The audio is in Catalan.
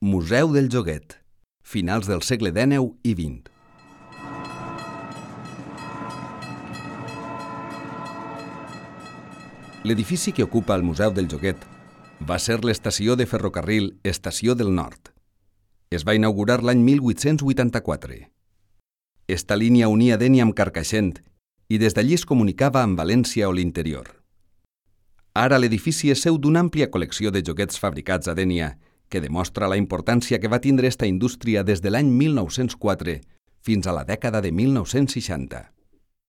Museu del Joguet, finals del segle XIX i XX. L'edifici que ocupa el Museu del Joguet va ser l'estació de ferrocarril Estació del Nord. Es va inaugurar l'any 1884. Esta línia unia Dénia amb Carcaixent i des d'allí es comunicava amb València o l'interior. Ara l'edifici és seu d'una àmplia col·lecció de joguets fabricats a Dénia, que demostra la importància que va tindre esta indústria des de l'any 1904 fins a la dècada de 1960.